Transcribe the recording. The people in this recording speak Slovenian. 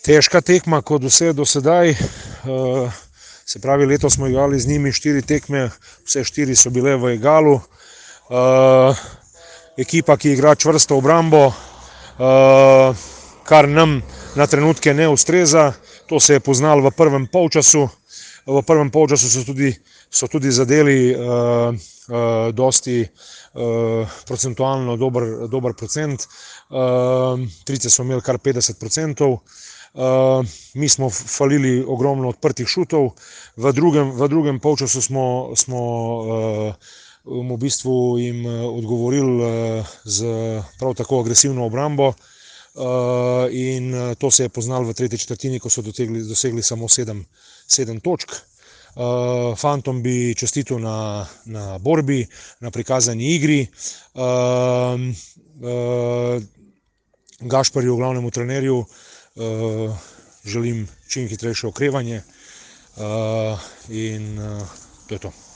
Težka tekma kot vse do sedaj. Se pravi, letos smo igrali z njimi 4 tekme, vse 4 so bile v egalu. Ekipa, ki igra čvrsto obrambo, kar nam na trenutke ne ustreza. To se je poznalo v prvem polčasu. V prvem polčasu so tudi zadeli dosti procentualno dober procent. Trice smo imeli kar 50%. Mi smo falili ogromno odprtih šutov. V drugem polčasu smo v bistvu jim odgovorili z prav tako agresivno obrambo. In to se je poznalo v tretji četrtini, ko so dosegli samo 7 točk. Fantom bi čestitil na borbi, na prikazani igri. Gašperju, glavnemu trenerju, želim čim hitrejše okrevanje in to je to.